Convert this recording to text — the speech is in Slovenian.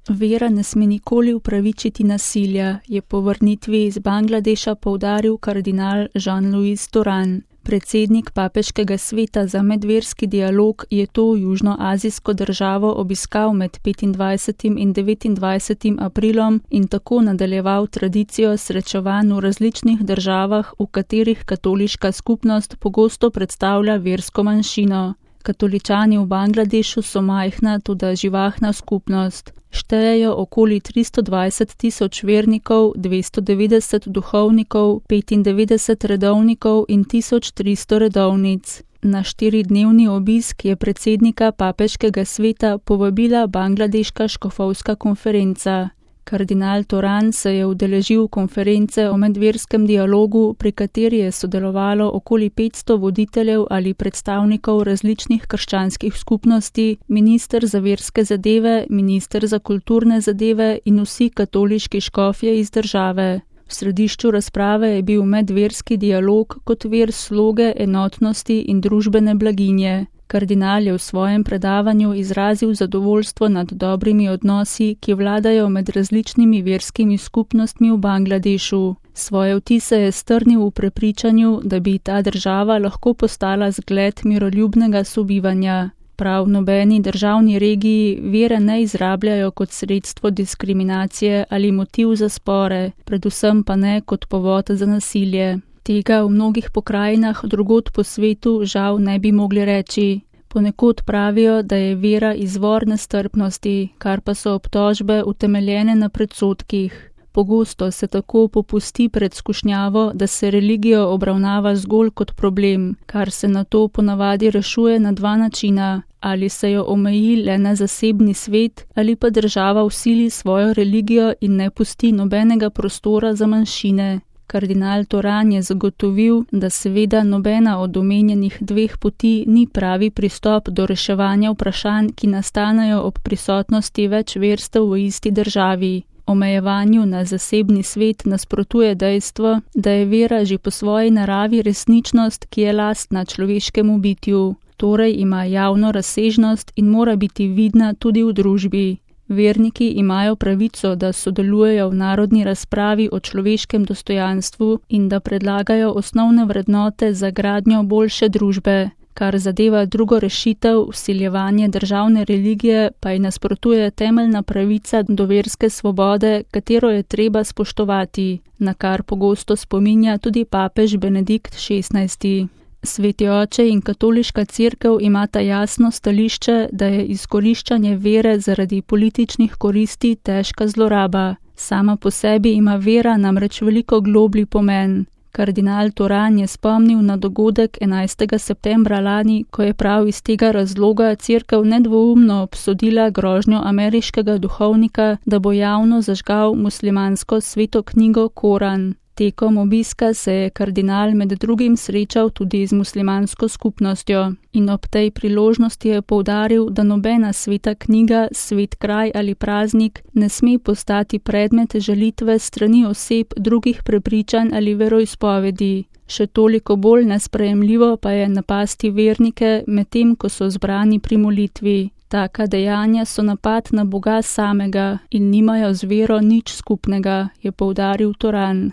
Vera ne sme nikoli upravičiti nasilja, je po vrnitvi iz Bangladeša poudaril kardinal Jean-Louis Toran. Predsednik Papeškega sveta za medverski dialog je to južnoazijsko državo obiskal med 25. in 29. aprilom in tako nadaljeval tradicijo srečevanj v različnih državah, v katerih katoliška skupnost pogosto predstavlja versko manjšino. Katoličani v Bangladešu so majhna, toda živahna skupnost. Štejejo okoli 320.000 vernikov, 290 duhovnikov, 95 redovnikov in 1300 redovnic. Na 4-dnevni obisk je predsednika Papeškega sveta povabila Bangladeška škofovska konferenca. Kardinal Toran se je udeležil konference o medverskem dialogu, pri kateri je sodelovalo okoli 500 voditeljev ali predstavnikov različnih krščanskih skupnosti, minister za verske zadeve, minister za kulturne zadeve in vsi katoliški škofje iz države. V središču razprave je bil medverski dialog kot vir sloge, enotnosti in družbene blaginje. Kardinal je v svojem predavanju izrazil zadovoljstvo nad dobrimi odnosi, ki vladajo med različnimi verskimi skupnostmi v Bangladešu. Svoje vtise je strnil v prepričanju, da bi ta država lahko postala zgled miroljubnega sobivanja. Prav v nobeni državni regiji vere ne izrabljajo kot sredstvo diskriminacije ali motiv za spore, predvsem pa ne kot povod za nasilje. Tega v mnogih pokrajinah drugod po svetu žal ne bi mogli reči. Ponekod pravijo, da je vera izvor nestrpnosti, kar pa so obtožbe utemeljene na predsodkih. Pogosto se tako popusti pred skušnjavo, da se religijo obravnava zgolj kot problem, kar se nato ponavadi rešuje na dva načina. Ali se jo omeji le na zasebni svet, ali pa država vsili svojo religijo in ne pusti nobenega prostora za manjšine. Kardinal Toran je zagotovil, da seveda nobena od omenjenih dveh poti ni pravi pristop do reševanja vprašanj, ki nastanejo ob prisotnosti več verstev v isti državi. Omejevanju na zasebni svet nasprotuje dejstvo, da je vera že po svoji naravi resničnost, ki je lastna človeškemu bitju. Torej ima javno razsežnost in mora biti vidna tudi v družbi. Verniki imajo pravico, da sodelujejo v narodni razpravi o človeškem dostojanstvu in da predlagajo osnovne vrednote za gradnjo boljše družbe. Kar zadeva drugo rešitev, vsiljevanje državne religije, pa ji nasprotuje temeljna pravica do verske svobode, katero je treba spoštovati, na kar pogosto spominja tudi papež Benedikt XVI. Sveti oče in katoliška cerkev imata jasno stališče, da je izkoriščanje vere zaradi političnih koristi težka zloraba. Sama po sebi ima vera namreč veliko globlji pomen. Kardinal Toran je spomnil na dogodek 11. septembra lani, ko je prav iz tega razloga cerkev nedvoumno obsodila grožnjo ameriškega duhovnika, da bo javno zažgal muslimansko sveto knjigo Koran. Tekom obiska se je kardinal med drugim srečal tudi z muslimansko skupnostjo in ob tej priložnosti je poudaril, da nobena sveta knjiga, svet kraj ali praznik ne sme postati predmet žalitve strani oseb drugih prepričanj ali veroizpovedi. Še toliko bolj nesprejemljivo pa je napasti vernike, medtem ko so zbrani pri molitvi. Taka dejanja so napad na Boga samega in nimajo z vero nič skupnega, je poudaril Toran.